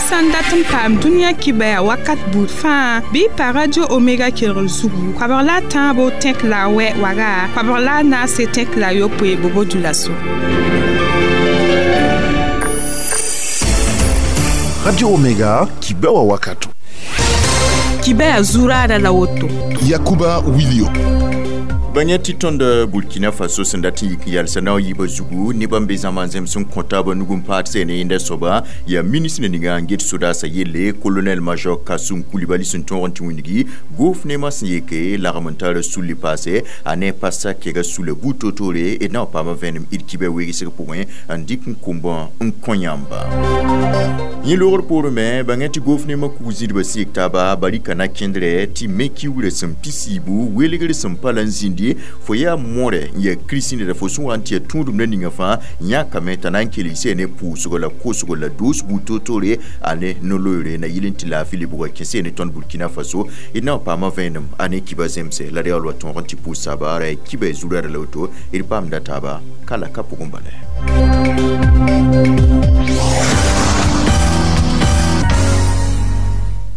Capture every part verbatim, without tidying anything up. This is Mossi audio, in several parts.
Sãn dat n paam dũniyã kibaya wakat buud fãa bɩ pa Radio Omega kelgr zugu koabg la a tãabo tẽk la a wɛ waga koabg la a naase tẽk la a yopoe bobo dulaso. Radio Omega kibewa wakato. Kibaya zurada la woto. Yakuba Wilio. Bãng tɩ tõnd Burkina Faso sẽn dat n yik n yalsa na yiibã zugu nebã n be zãma n zems n kõ taabã nug n paad sẽn ne yẽnda soaba yaa ministr ninga n get sodaasã yelle colonel major Kassoum Coulibaly sẽn tõog n tɩ wĩndgi gouvernement sẽn yeke lagm n tar sulli paase a ne pasa kɛga sula buud toor-toore d na n paama vẽenem d kibã wegsg pʋgẽ n dɩk n kʋmbã n kõ yãmba yẽ loogr poorẽ me bãng tɩ gouvernement kug zĩdbã sɩk taaba barika na kẽndrɛ tɩ me kiugrã sẽn pisiibu welgr sẽn pa la n zĩndi fo yaa mõre n yaa kiristĩnda fo sẽn wa n tɩ yaa tũudum na ninga fãa yãkame t'a na n kelg ne pʋʋsgo la kosgo la doos buud toor-toore a ne no-loeere na yɩl n tɩ laafɩ lebga kẽse ne tõnd Burkina Faso d na n paama vẽenem a ne kiba zemse la reool wa tõog n tɩ pʋʋs saaba ra kiba zurada la woto d paamda taaba ka la ka pʋgẽ bala.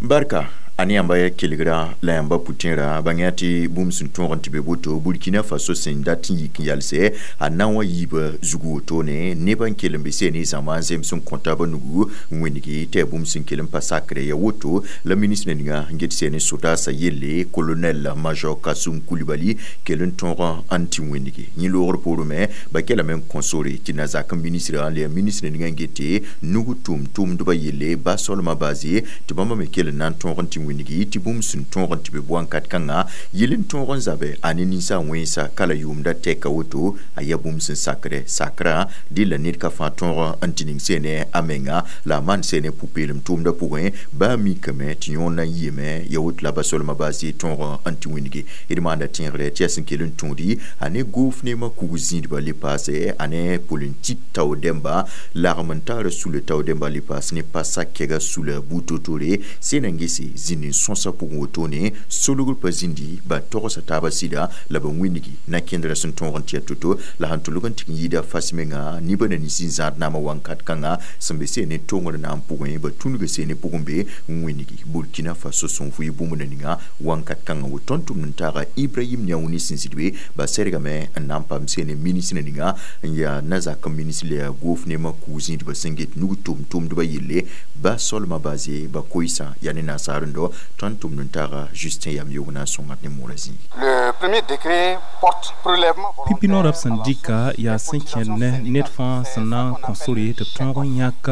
Barka a ne yãmba ya kelgra la yãmba pʋtẽera bãng yaa tɩ bũmb sẽn tõog n tɩ be boto Burkina Faso sẽn dat n yik n yalse a na n wa yiibã zugu wotone nebã n kell n be seen ne zãma n zems n kõ taabã nugu n wĩndgi tɩ yaa bũmb sẽn kell n pa sakrɛ ya woto la ministr ninga n get seen ne sodaasã yelle colonel major Kassoum Coulibaly kell n tõog n tɩ wĩndgi yẽ loogr poorẽ me ba kelame n kõ sore tɩ na zak n ministrã la yaa ministr ninga n gete nug tʋm-tʋmdbã yelle ba solmã baase tɩ bãmba me kell n na n tõog n tɩ wĩndgi tɩ bũmb sẽn tõog n tɩ be bõn-kat kãnga yel n tõog n zabe a ne ninsa wẽnsa ka la yʋʋmda tɛka woto a yaa bũmb sẽn sakrɛ sakrã dɩ la ned ka fãa tõog n tɩ ning seene a menga la a maan seene pʋ-peelem tʋʋmdã pʋgẽ baa mikame tɩ yõor na n yiime ya woto la ba solmã baase tõog n tɩ wĩndgi d maanda tẽegrɛ tɩ yaa sẽn kell n tõodi a ne gouvernement kug zĩidbã le paase a ne politik tao dẽmba lagm n taara sula tao dẽmba le paas ne pa sak-kɛga sula buud toor-toore sẽn na n gese zĩnd n sõsa pʋgẽ wotone solgr pa zĩndi ba togsa taabã sɩda la ba wĩndgi na kẽndrã sẽn tõog n tɩ yaa to-to la sẽn tʋlg n tɩg n yɩɩda fas menga nibã na nins n zãad naamã wãnkat kãnga sẽn be seen ne tongr naam pʋgẽ ba tũnugã seen ne pʋgẽ be n wĩndgi Burkina Faso sẽn vʋɩ bũmb na ninga wãnkat kãngã woto tõnd tʋmd n taaga Ibrahim Niaouni sẽn zĩd be ba sɛrgame n na n paam seen ne ministr ninga n yaa na zak n ministr la yaa gouvernement kug zĩidbã sẽn get nug tʋm-tʋmdbã yelle ba solmã baase ba koɩsã yaa ne nasaar n dao tõnd tʋmd n taaga Justin Yam yog na n sõngat ne moorã zĩig. Le premier décret porte prélèvement pipi noorã b sẽn dɩka yaa sẽn kẽnd ne ned fãa sẽn na n kõ sore tɩ b tõog n yãk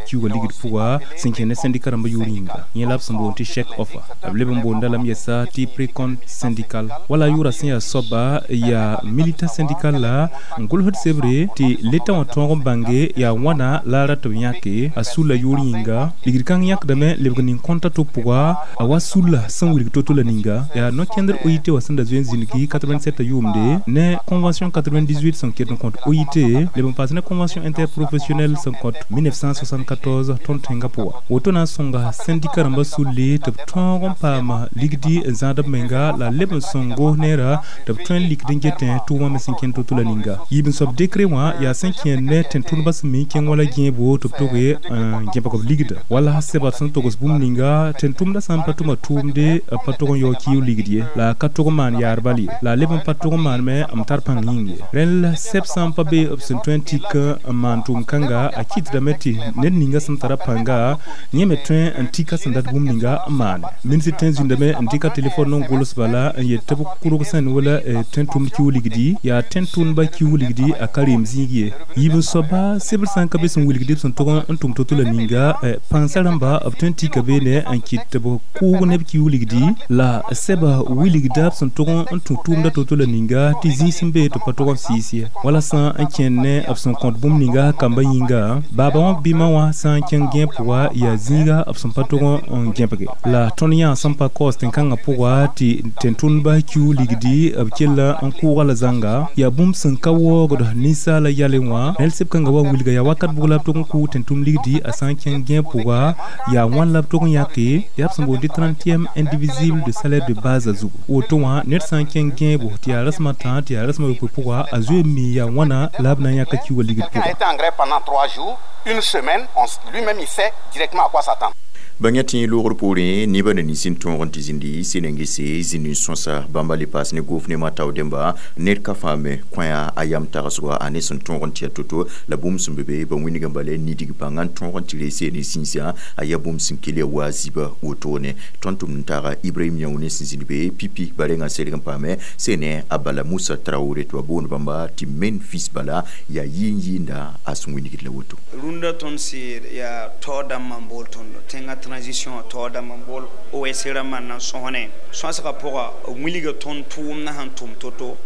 kiuugã ligd pʋga sẽn kẽnd ne sẽndika rãmbã yʋʋr yĩnga yẽ la b sẽn boond tɩ chèque offer b leb n boonda lame yɛsa tɩ précompte syndical wala yʋʋra sẽn yaa soaba yaa militant syndical la n gʋlsd sebre tɩ leta wã tõog n bãnge yaa wãna la a rat b yãke a sulla yʋʋr yĩnga ligd kãng yãkdame lebg nin-kõnta to pʋga a wa sulla sẽn wilg to-to la ninga yaa no-kẽndr O I T wã sẽn da zoe n zĩndgi quatre-vingt-sept yʋʋmde ne convention quatre-vingt-dix-huit sẽn ket n kõt O I T leb n paas ne convention interprofessionnelle sẽn kõt mille neuf cent soixante-quatorze tõnd tẽngã pʋga woto na n sõnga sẽndika rãmbã sulli tɩ b tõog n paam ligdi n zãad b menga la leb n sõng goos neera tɩ b tõe n likd n getẽ tʋʋmã me sẽn kẽnd to-to la ninga yiib n soab décret wã yaa sẽn kẽend ne tẽn-tʋndbã sẽn mi n kẽng wala gẽebo tɩ b toge n gẽbg b ligda wala sɛba sẽn togs bũmb ninga tẽn-tʋmdã sã n pa tʋma tʋʋmde pa tʋg n yao kiu ligd ye la ka tʋg n maan yaar bal ye la leb n pa tʋg n maan me m tar pãng yĩng ye rẽnd la sɛb sã n pa be b sẽn tõe n tik n maan tʋʋm kãnga a kɩtdame tɩ ned ninga sẽn tara pãnga yẽ me tõe n tika sẽn dat bũmb ninga n maane ministr tẽ zĩndame n dɩka telefon n gʋls bala n yet tɩ b kʋrg sẽn wala tẽn-tʋmd kiu ligdi yaa tẽn-tʋndba kiu ligdi a ka reem zĩig ye yiib n soaba sebr sã n ka be sẽn wilgd b sẽn tʋg n tʋm to-to la ninga pãngsã rãmba b tõe n tika beene n kɩt tɩ b kʋʋg neb kiu ligdi la sɛba wilgda b sẽn tʋg n tũ tʋʋmda to-to la ninga tɩ zĩig sẽn be tɩ pa tʋg n sɩɩs ye wala sã n kẽnd ne b sẽn kõt bũmb ninga kambã yĩnga baaba wã bɩmã wã sã n kẽng gẽeb pʋga yaa zĩiga b sẽn pa tʋg n gẽbge la tõnd yã sẽn pa kaoos tẽn-kãngã pʋga tɩ tẽn-tʋndba kiu ligdi b kella n kʋʋga la zãnga yaa bũmb sẽn ka waoogd ninsaala yalẽ wã nel seb kãngã wa wilga yaa wakat bʋg la b tʋg n kʋʋg tẽn-tʋm ligdi a sã n kẽng gẽeb pʋga yaa wãn la b tʋg n yãke yaa b sẽn boond boond tɩ trentième indivisible de salaire de base zugu. Woto wã ned sã n kẽng gẽebo tɩ yaa rasem a tã tɩ yaa rasem a yopoe pʋga, a zoe n mi yaa wãna la b na n yãka kiuugã ligd Quelqu'un a pʋga. été en grève pendant trois jours, une semaine, on- lui-même il sait directement à quoi s'attendre. Bãnga tẽ loogr poorẽ nebã na nins n tõog n tɩ zĩndi sẽn-gese zĩnd n sõsa bãmba le paas ne gofnema tao dẽmba ned ka fãa me kõ-a a yam tagsgo a ne sẽn tõog n tɩ ya to-to la bũmb sẽn be be ba wĩnigã bala nidig bãnga n tõog n tɩ reese ne zĩnsã a yaa bũmb sẽn kell ya wa zibã wotone. Tõnd tʋmd n taaga Ibrahim Yãune sẽn zĩnd be pipi ba rengã serg n paame sẽn ne a bala Musa Traore tɩ ba boond bãmba tɩ Memphis bala yaa yɩɩn yɩɩnda a sẽn wĩnigd la woto. Rũndã tõnd sɩd yaa taoor dãmbã n bool tõndo tẽngã transition taoor dãmbã n bool O S rãmbã n na n sõsne sõsgã pʋga b wilga tõnd tʋʋmdã sẽn tʋm to-to,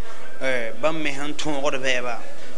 eh, bãmb me sẽn tõogd bɛɛba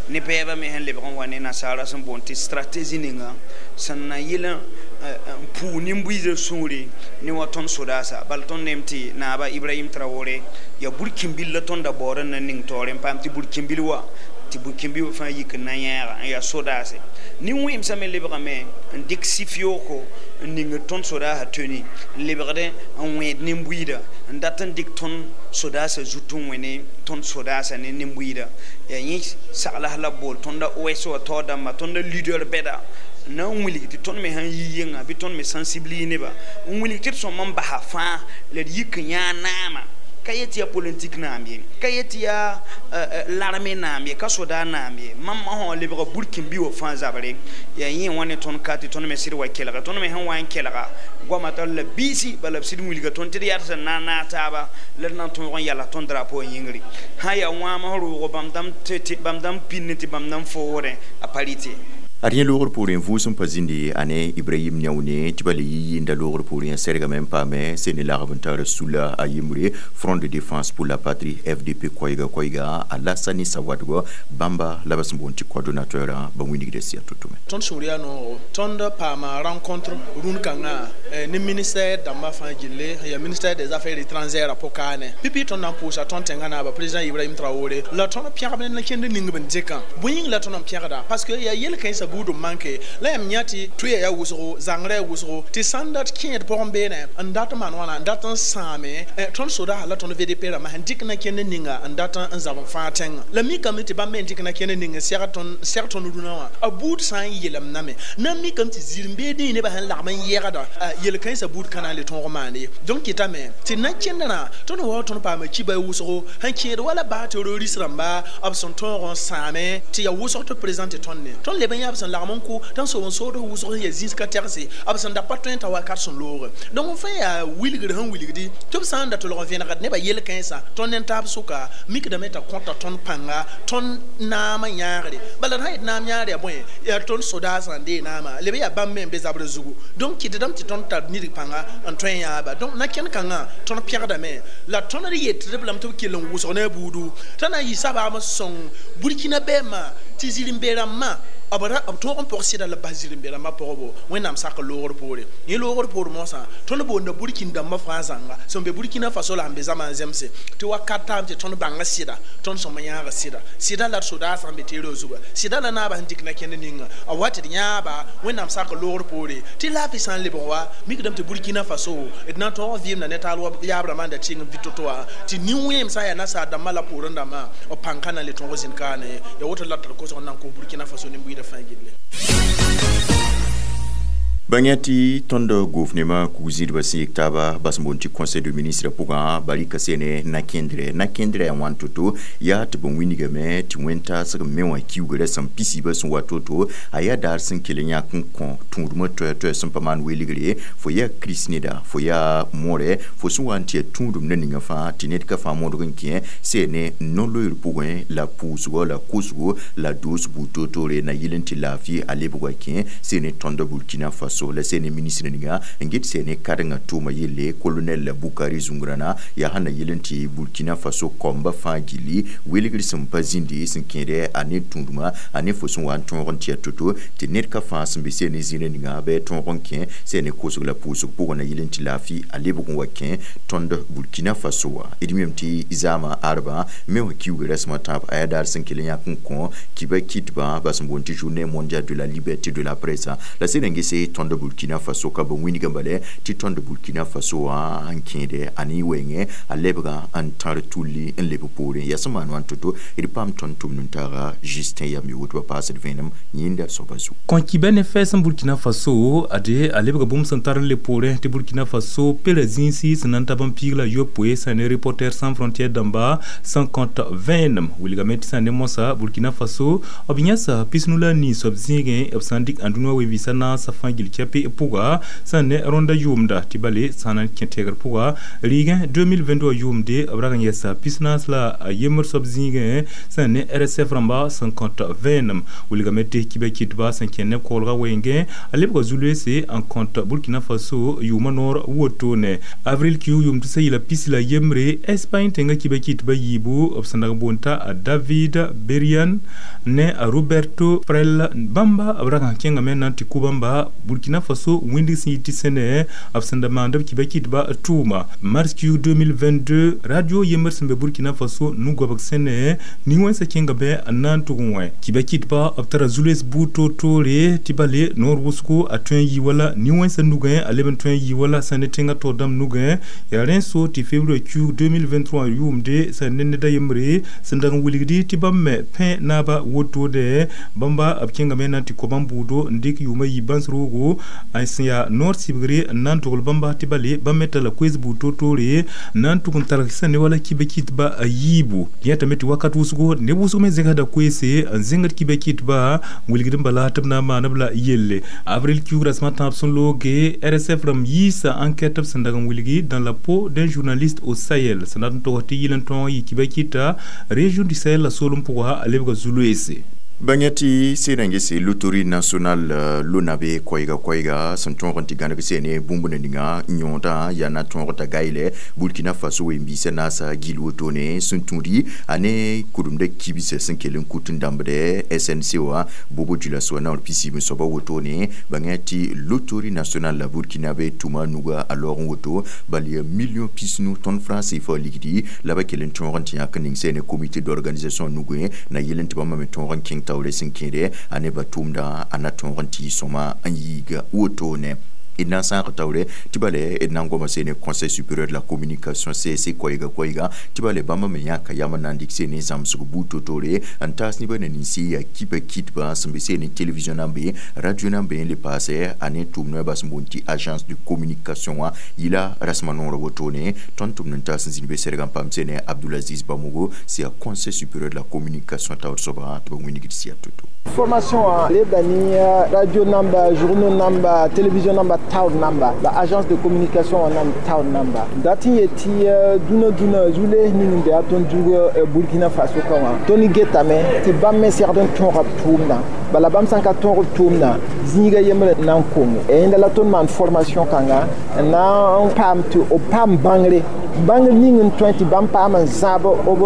ne bɛɛbã me sẽn lebg n wa ne nasaara sẽn boond tɩ stratégie ninga sẽn na yɩl n pʋʋ nin-buiisã sũure ne wa tõnd sodaasa. Bala tõnd neem tɩ naaba Ibrahim Traore yaa burkĩnbil la tõnd da baood n na ning taoore n paam tɩ burkĩnbil wa tɩ burkĩnbil fãa yik n na yãaga n yaa sodaase. Nin-wẽmsã me lebgame n dɩk sif-yooko n ning tõnd sodaasã toni n lebgdẽ n wẽed nin-buiida n dat n dɩk tõnd sodaasã zut n wẽ ne tõnd sodaasã ne nin-buiida yaa yẽ saglas la b bool tõnda O S wa taoor dãmba tõnda leader bɛda na n wilg tɩ tõnd me sãn yi yẽnga bɩ tõnd me sensibilise neba n wilg tɩ d sõm n basa fãa la d yik n yãag naama ka yet yaa politik naam ye, ka yet yaa larme naam ye, ka soda naam ye. Mam sã lebga burkĩnbi wã fãa zabre yaa yẽ wã ne tõnd ka tɩ tõnd me sɩd wa kelga tõnd me sẽn wa n kelga goamã tall la biisi bala b sɩd wilga tõnd tɩ d yaa sẽn na n naag taaba la d na n tõog n yala tõnd drapeau yĩngri sã yaa wãam roogo bãmb dãmb pĩnd tɩ bãmb dãmb foogdẽ a parite. Ad yẽ loogr poorẽ vʋʋsem pa zĩndi a ne Ibrahim Yãune tɩ ba le yi yɩɩnda loogr poorẽ sɛrgame n paame sẽn ne lagb n tar sula a yembre Front de défense pour la patrie F D P koɛɛga koɛɛga Alasani Sawadgo bãmba la ba sẽn boond tɩ coordonnateur ba wĩnigda sɩa to-to me. Tõnd sũur yaa noogo tõnd paama rencontre rũn kãngã ne ministère dãmbã fãa gilli yaa ministère des Affaires étrangères a pʋkaane pipi tõnd na n pʋʋsa tõnd tẽngã naaba président Ibrahim Traoré la tõnd pẽgb ne kẽnd ning b n dɩkã bõe yĩng la tõnd n pẽgda parce que yaa yel-kãensã buud n manke la yãmb yã tɩ tʋya yaa wʋsgo zãngrã yaa wʋsgo tɩ sãn dat kẽed pʋgẽ beene n dat n maan wãna n dat n sãame tõnd sodaasã la tõnd V D P rãmbã sẽn dɩk na kẽnd ninga n dat n zab n fãa tẽngã la mikame tɩ bãmb me n dɩk na kẽnd ning n sɛg tõnd sɛg tõnd rũnã wã a buud sã n yelemdame na n mikame tɩ zir-n-beed nebã sẽn lagm n yɛgda yel-kãensã buud ka na n le tõog maand ye. Donc kɩtame tɩ na kẽndrã tõnd wa tõnd paama kiba wʋsgo sẽn kẽed wala baa terroriste rãmba b sẽn tõog n sãame tɩ yaa wʋsg tɩ président tɩ tõnd ne tõnd leb n yaa b sẽn lagm n kʋ tɩ n sob n sood wʋsg sẽn yaa zĩis ka tɛgse b sẽn da pa tõe n ta wakat sẽn looge. Donc f fãa yaa wilgr sẽn wilgdi tɩ b sã n da tolg n vẽnegd nebã yel-kãensã tõnd ne taab sʋka mikdame t'a kõta tõnd pãnga tõnd naamã yãagre bala d sã yet naam yãagr yaa bõe yaa tõnd sodaasã n dee naamã leb yaa bãmb me n be zabrã zugu. Donc kɩtdame tɩ tõnd tar nidg pãnga n tõe n yãaba. Donc na kẽnd kãngã tõnd pẽgdame la tõnd d yetd b lame tɩ b kell n wʋsg ne a buudu t'a na n yɩ sabaam sõng Burkina bɛɛmã tɩ zĩr-n-be-rãmbã b b tõog n pʋg sɩda la b bas zĩr-n-be-rãmbã pʋgbo Wẽnnaam sak loogr poore yẽ loogr poor moasã tõnd boonda Burkin dãmbã fãa zãnga sẽn be Burkina Faso la sẽn be zãma n zemse tɩ wakat taam tɩ tõnd bãnga sɩda tõnd sõma yãaga sɩda sɩda la d sodaasã n be teerã zuga sɩda la naabã sẽn dɩk na kẽnd ninga a wa tɩ d yãaba Wẽnnaam sak loogr poore tɩ laafɩ sã n lebg wa mikdame tɩ Burkina Faso d na n tõog n vɩɩmda ne taal wa yaab rãmbã n da tɩng n vɩ to-to wã tɩ nin-wẽem sã n yaa nasaar dãmbã la poorẽ dãmbã b pãng ka na n le tõog zĩnd kaane ya woto la tɩ d kosg n na n kos Burkina Faso nin-buiidã fãa gilli. Bãng tɩ tõnd gofnema kug-zĩdbã sẽn yik taaba bas n boond tɩ conseil de ministre pʋgã barika sene na-kẽndrɛ na-kẽndrɛ yaa wãn to-to yaa tɩ bõn wilgame tɩ wẽn-taasg me wã kiugrã sẽn pisibã sẽn wa to-to a yaa daar sẽn kell n yãk n kõ tũudmã toɛ-toɛ sẽn pa maan welgre fo yaa kirist neda fo yaa moorɛ fo sẽn wa n tɩ yaa tũudum na ninga fãa tɩ ned ka fãa modg n kẽ sene no-loeer pʋgẽ la pʋʋsgɔ la kosgo la doos buud toor-toore na yɩl n tɩ laafɩ a lebg wa kẽ sene tõnd Burkina Faso la sene ministre ninga n get sene kadengã tʋʋma yelle colonel Bukari Zungrana yaa sẽn na yɩl n tɩ Burkina Faso kaombã fãa gilli welgr sẽn pa zĩndi sẽn kẽede a ne tũudmã a ne fo sẽn wa n tõog n tɩ ya to-to tɩ ned ka fãa sẽn be sene zĩrã ninga bɩ tõog n kẽ sene kosg la pʋʋsg pʋgẽ na yɩl n tɩ laafɩ a lebg n wa kẽ tõnd Burkina Faso wã. D mem tɩ zaamã arbã me wã kiuga rasmã tãab a yaa daar sẽn kell n yãk n kõ kiba kitbã bas n boond tɩ Journée mondiale de la liberté de la presse la sẽn n gese tõnd tõnd Burkina Faso ka bã wĩnigã bale tɩ tõnd Burkina Faso wã n kẽede a ne wɛɛngẽ a lebga n tãr tulli n leb poorẽ yaa sẽn maan wã n to-to d paam tõnd tʋmd n taaga Justin yam yogo tɩ ba paasd vẽenem yẽnda soaba zugu. Kõ-kibɛ ne fɛɛs n Burkina Faso ade a lebga bũmb sẽn tar n le poorẽ tɩ Burkina Faso pela zĩisi sẽn na n tab n piig la yopoe sã ne Reporters sans frontières dãmba sẽn kõt vẽenem wilgame tɩ sã ne moasã Burkina Faso b yãsa pisnu la a nii soab zĩigẽ b sã n dɩk ãndũnã we-vɩɩsã naasã fãa gill kɛpɩ pʋga sã n ne rõnda yʋʋmda tɩ bale sã na n kẽ tɛɛgr pʋga riigẽ deux mille vingt-deux wã yʋʋmde b rag n yɛsa pis-naas la a yembr soab zĩigẽ sã n ne R S F rãmba sẽn kõt vẽenem wilgame tɩ kibã kɩtba sẽn kẽ neb koglga wengẽ a lebga zu-loeese n kõt Burkina Faso yʋʋmã noor wotone. Avril kiug yʋʋm tʋsa yɩla pis la yembre Espagne tẽngã kibã kɩtbã yiibu b sẽn dag n boond t'a David Berian ne a Roberto Frel bãmba b rag n kẽngame na n tɩ kʋ bãmba Burkina Faso wĩndg sẽn yɩ tɩ sẽne b sẽn da maand b kibã kɩtba tʋʋma. Mars kiug deux mille vingt-deux radio yembr sẽn be Burkina Faso nu-goabg sẽne nin-wẽnsã kẽngame n na n tʋg n wẽ kibã kɩtba b tara zu-loees buud toor-toore tɩ bale noor wʋsgo a tõe n yɩ wala nin-wẽnsã nugẽ a leb n tõe n yɩ wala sã ne tẽngã taoor dãmb nugẽ yaa rẽ so tɩ février kiug deux mille vingt-trois yʋʋmde sã ne neda yembre sẽn dag n wilgdi tɩ bãmb me pẽ naaba wotode bãmba b kẽngame na n tɩ kõ bãmb bʋʋdo n dɩk yʋʋmã yi bãns roogo a sẽn yaa noor sɩbgre n na n togl bãmba tɩ bale bãmb me tara koees buud toor-toore n na n tʋg n targ sã ne wala kibã kɩtba a yiibu yẽtame tɩ wakat wʋsgo neb wʋsg me zẽgsda koeese n zẽngd kibã kɩtba wilgd n bala tɩ b na n maan b la yelle. Avril kiug rasmã tãab sẽn looge R S F rãmb yiisa enquête b sẽn dag n wilgi dans la peau d'un journaliste au Sahel sẽn dat n tog tɩ yɩl n tõog n yɩ kibã kɩta région du Sahel la soolem pʋga a lebga zu-loeese. Bãng tɩ sɩd n gese loterie nationale lonabe koɛɛga koɛɛga sẽn tõog n tɩ gãneg sene bũmb na ninga yõodã yaa na tõog t'a gayle Burkina Faso ween-biisã naasa gill wotone sẽn tũudi a ne kʋremda kibsã sẽn kell n kut n dãmbdɛ S N C wã Bobo Dioulasso naoor pisiib n soaba wotone bãng tɩ loterie nationale la burkinabe tʋma nuga a laoog n woto bal yaa million pisnu tõnd franc C F A ligdi la ba kell n tõog n tɩ yãk n ning sene comité d'organisation nugẽ na yel n tɩ bãmba me tõog n kẽng taoore sẽn kẽede a nebã tʋʋmdã a na tõog n tɩ sõma n yiiga wotone d na n sãag taoore tɩ bale d na n goma sene Conseil supérieur de la communication C S C koɛɛga koɛɛga tɩ bale bãmba me yãka yam n na n dɩk sene zãmsg buud to-toore n taas nebã na ninsi yaa kipa kɩtbã sẽn be sene télévision na n be radio na n be n le paase a ne tʋʋm noɛbã sẽn boond tɩ agence de communication wã yɩla rasmã noorã wotone tõnd tʋmd n taas n zĩnd be sɛrg n paam sene Abdulaziz Bamogo sẽn yaa Conseil supérieur de la communication taoor soabã tɩ ba wĩnigd sɩya to-to. Formation lebda ni radio namba, journaux namba, télévision namba taoor namba la agence de communication nam taoor namba dat n yet tɩ dũnã dũnã zu-lees ning n be a tõnd zug Burkina Faso ka wã tõnd getame tɩ bãmb me segd n tõoga b tʋʋmdã bala bãmb sã n ka tõog b tʋʋmdã zĩiga yembre na n konge yẽnda la tõnd maan formation kãnga n na n paam tɩ b paam bãngre bãngr ning n tõe tɩ bãmb paam n zãab b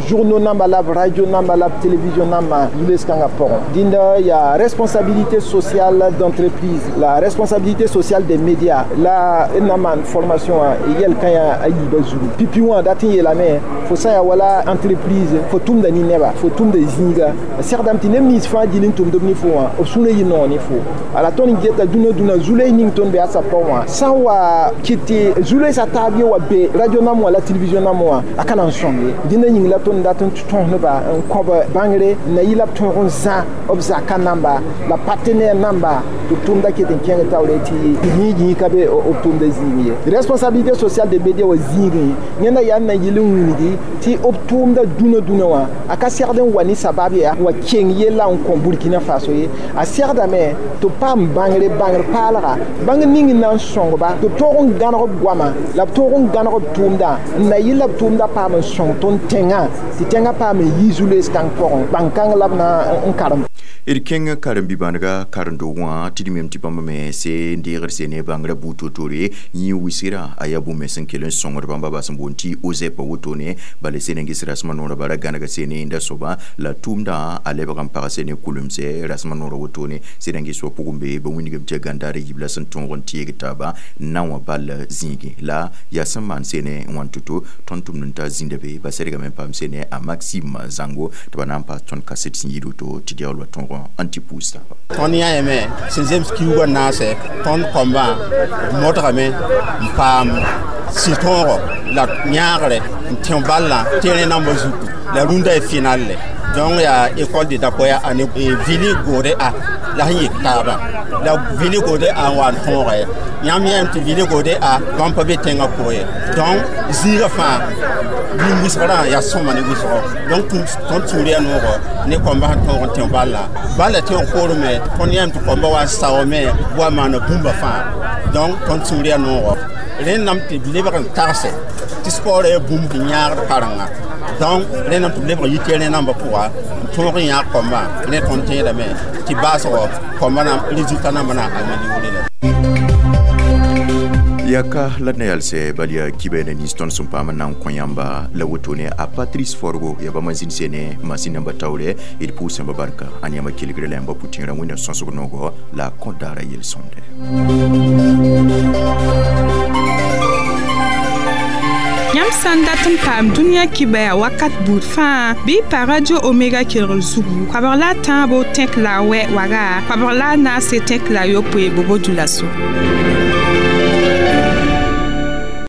journaux namba la b radio namba la b télévision namba zu-lees kãngã pʋgẽ dĩnda yaa responsabilité sociale d'entreprise, la responsabilité sociale des médias la n na maan formation wã yɛl kã yaa a yiibã zugu pipi wã dat n yeelame fo sã yaa wala entreprise fo tʋmda ne neba fo tʋmda zĩiga segdame tɩ neb nins fãa gill n tʋmd b ne fo wã b sũurã yɩ noog ne fo ala tõnd geta dũnã dũnã zu-loees ning tõnd be a sa pʋgẽ wã sã n wa kɩt tɩ zu-loeesã taab ye wa be radio nam wã la télévision nam wã a ka na n sõng ye dĩnda yĩng la tõnd dat n tõs neba n kõb bãngre n na yɩ la b tõog n zã b zaka namba la partenaire namba tɩ b tʋʋmda ket n kẽng taoore tɩ yĩig yĩig ka be b tʋʋmda zĩig ye responsabilité sociale des médias wa zĩigẽ yẽnda yaa n na yɩl n wilgi tɩ b tʋʋmda dũnã dũnã wã a ka segd n wa ne sabab yaa n wa keng yella n kõ Burkina Faso ye a segdame tɩ b paam bãngre bãngr paalga bãngr ning n na n sõngba tɩ b tõog n gãneg b goama la b tõog n gãneg b tʋʋmda n na yɩl la b tʋʋmda paam n sõng tõnd tẽngã tɩ tẽngã paam n yi zu-loees kãng pʋgẽ bãng-kãng la b na n karem. D kẽng karen-bi-bãnega karen-doog wã tɩ d mem tɩ bãmb me se n deegd sene bãngrã buud to-toore yẽ wisgrã a yaa bũmb me sẽn kell n sõngd bãmba ba sẽn boond tɩ OZEP wotone bala sene n ges rasmã noorã bara gãnega sene yẽnda soaba la tʋʋmdã a lebg n pag sene kulemse rasmã noorã wotone sẽd n ges wa pʋgẽ be ba wĩnigame tɩ yaa gãndaar yib la sẽn tõog n teeg taaba na wã bal zĩigẽ la yaa sẽn maan sene. sene n wãn to-to tõnd tʋmd n ta zĩnda be ba sɛdgame n paam sene a Maxime Zango tɩ ba na n paas tõnd kaset sẽn yɩ woto tɩ diaool wa tõog n tɩ puus taaba. Tõnd yãame sẽn zems kiuugã naase tõnd kõmbã modgame n paam sɩ-tõogo la yãagre n tẽ ballã terrain nambã zutu la rũndã y final le. Donc yaa école de Dapoya ane vili gode a la sẽn yik taaba la vili gode a n wa n tõoga ye yãmb yãame tɩ vili gode a bãmb pa be tẽngã pʋgẽ ye. Donc zĩigã fãa nin-wɩsgrã yaa sõma ne wɩsgo. Donc tõnd sũur yaa noogo ne kõmbã sẽn tõog n tẽ ballã balla tẽog poorẽ me tõnd yãame tɩ kõmbã wa n saoome wa maana bũmba fãa. Donc tõnd sũur yaa noogo rẽndame tɩ b lebg n tagse tɩ sport yaa bũmb n yãagd karenga. Donc rẽndame tɩ b lebg n yɩ terrain nambã pʋga n tõog n yãag kõmbã rẽ tõnd tẽedame tɩ baasgɔ kõmbã na résultat nambã na améliorer la. Yaka la d na yalsɛ bal yaa kibɛɛna nins tõnd sẽn paam n na n kõ yãmba la wotone a Patrice Forgo yaa bãmba zĩnd sene masin namba taoorɛ d pʋʋs yãmba barka ãn yãmba kelgre la yãmba pʋtẽerã wẽnna sõsg noogo la a kõ daara yel-sõmde. Yãmb sã n dat n paam dũniyã kibɛa wakat buud fãa bɩ pa Radio Omega kelgr zugu koabg la a tãabo tẽk la a wɛ waga koabg la a naase tẽk la a yopoe bobo dulaso.